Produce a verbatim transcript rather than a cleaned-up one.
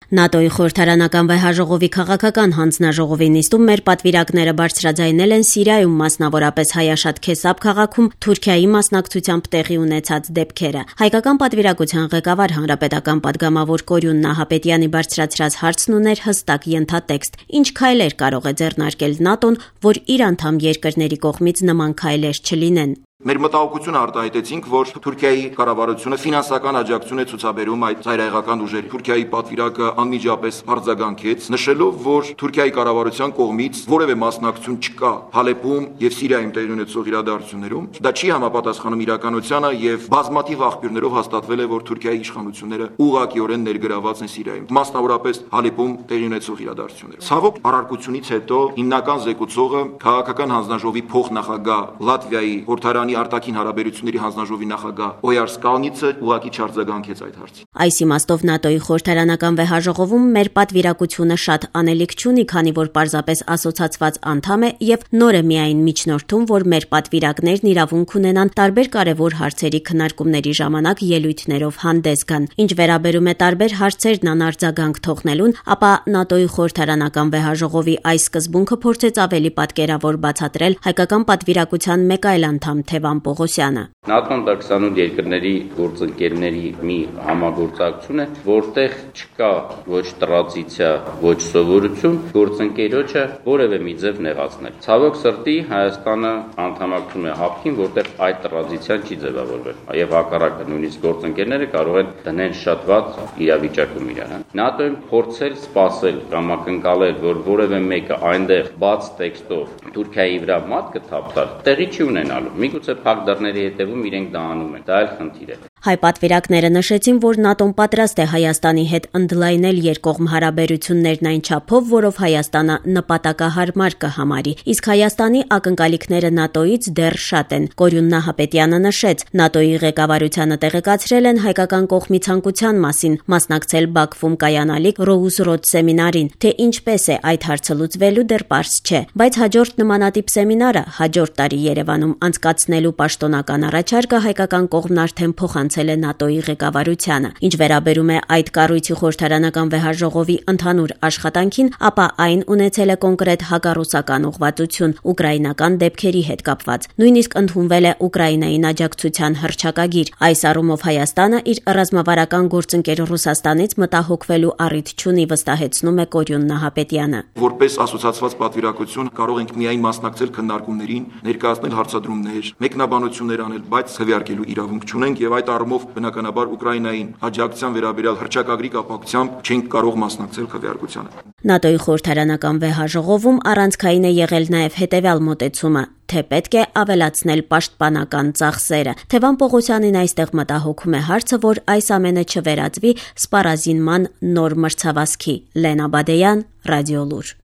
ՆԱՏՕ-ի խորհրդարանական վեհաժողովի քաղաքական հանձնաժողովի նիստում մեր պատվիրակները բարձրաձայնել են Սիրիայում, մասնավորապես Հայաշատ Քեսապ քաղաքում Թուրքիայի մասնակցությամբ տեղի ունեցած դեպքերը։ Հայկական պատվիրակության ղեկավար հանրապետական պատգամավոր Կորյուն Նահապետյանի բարձրացրած հարցն ուներ հստակ ենթատեքստ. ինչ քայլեր կարող է ձեռնարկել ՆԱՏՕ-ն, որ իր անդամ երկրների կողմից նման քայլեր չլինեն։ Մեր մտահոգությունը արտահայտեցինք, որ Թուրքիայի կառավարությունը ֆինանսական աջակցություն է ցուցաբերում այդ ծայրահեղական ուժերի։ Թուրքիայի պատվիրակը անմիջապես արձագանքեց, նշելով, որ Թուրքիայի կառավարության կողմից որևէ մասնակցություն չկա Հալեպում եւ Սիրիայում տեղի ունեցող իրադարձություններում։ Դա չի համապատասխանում իրականությանը եւ բազմաթիվ աղբյուրներով հաստատվել է, որ Թուրքիայի իշխանությունները ուղղակիորեն ներգրաված են Սիրիայում, մասնավորապես Հալեպում տեղի ունեցող իրադարձությունները։ Ցավոք, առարկությունից հետո հիմնական զեկուցողը քաղաքական հանձնաժողովի փոխնախագահ Լատվիայի խորհրդարանի արտաքին հարաբերությունների հանձնաժողովի նախագահ Օյար Սկալնիցը ուղղակի չարձագանքեց այդ հարցին։ Այս իմաստով ՆԱՏՕ-ի խորհրդարանական վեհաժողովում մեր պատվիրակությունը շատ անելիք չունի, քանի որ պարզապես ասոցացված անդամ է եւ նոր է միայն միջնորդում, որ մեր պատվիրակներն իրավունք ունենան տարբեր կարևոր հարցերի քննարկումների ժամանակ ելույթներով հանդես գան։ Ինչ վերաբերում է տարբեր հարցերն անարձագանք թողնելուն, ապա ՆԱՏՕ-ի խորհրդարանական վեհաժողովի այս սկզբունքը փորձեց ավելի պատկերավոր բացատրել հայկական պատվիրակության մեկ այլ անդամ Թևան Պողոսյանը։ ՆԱՏՕ-ն դա քսանութ երկրների գործընկերների մի համագործակցություն է, որտեղ չկա ոչ տրադիցիա, ոչ սովորություն գործընկերոջը որևէ մի ձև նեղացնել։ Ցավոք սրտի Հայաստանը անդամակցում է հապկին, որտեղ այդ տրադիցիան չի ձևավորվել, եւ հակառակը նույնիսկ գործընկերները կարող են դնել շատ վատ իրավիճակում իրար։ ՆԱՏՕ-ն փորձել սпасել կամ ակնկալել, որ որևէ մեկը այնտեղ բաց տեքստով Թուրքիայի վրա մատ կթափտար, տեղի չի ունենալու։ Միգուցե փակ դռների հետևում իրենք դա անում են, դա էլ խնդիր է։ Հայ պատվիրակները նշեցին, որ ՆԱՏՕ-ն պատրաստ է Հայաստանի հետ ընդլայնել երկկողմ հարաբերություններն այն չափով, որով Հայաստանը նպատակահարմար կհամարի, իսկ Հայաստանի ակնկալիքները ՆԱՏՕ-ից դեռ շատ են։ Կորյուն Նահապետյանը նշեց, ՆԱՏՕ-ի ղեկավարությանը տեղեկացրել են հայկական կողմի ցանկության մասին մասնակցել Բաքվում կայանալիք Ռոուզրոդ սեմինարին, թե ինչպես է այդ հարցը լուծվելու դեռ պարզ չէ, բայց հաջորդ նմանատիպ սեմինարը հաջորդ տարի Երևանում անցկացնելու պաշտոնական առաջարկը հայկական կողմն արդեն փոխանցել է ՆԱՏՕ-ի ղեկավարությանը։ Ինչ վերաբերում է այդ կառույցի խորհրդարանական վեհաժողովի ընդհանուր աշխատանքին, ապա այն ունեցել է կոնկրետ հակառուսական ուղղվածություն ուկրաինական դեպքերի հետ կապված։ Նույնիսկ ընդունվել է Ուկրաինային աջակցության հռչակագիր։ Այս առումով Հայաստանը իր ռազմավարական գործընկեր Ռուսաստանից մտահոգվելու առիթ չունի, վստահեցնում է Կորյուն Նահապետյանը։ Որպես ասոցացված պատվիրակություն կարող ենք միայն մասնակցել քննարկումներին, ներկայացնել հարցադրումներ, մեկնաբանություններ անել, բայց քվեարկելու իրավունք չունենք եւ այդ առումով բնականաբար Ուկրաինային աջակցության վերաբերյալ հռչակագրի կապակցությամբ չենք կարող մասնակցել քվեարկությանը։ ՆԱՏՕ-ի խորհրդարանական վեհաժողովում առանցքային է եղել նաեւ հետեւյալ մոտեցումը, թե պետք է ավելացնել պաշտպանական ծախսերը։ Թևան Պողոսյանին այստեղ մտահոգում է հարցը, որ այս ամենը չվերածվի սպառազինման նոր մրցավազքի։ Լենա Բադեյան, Ռադիոլուր։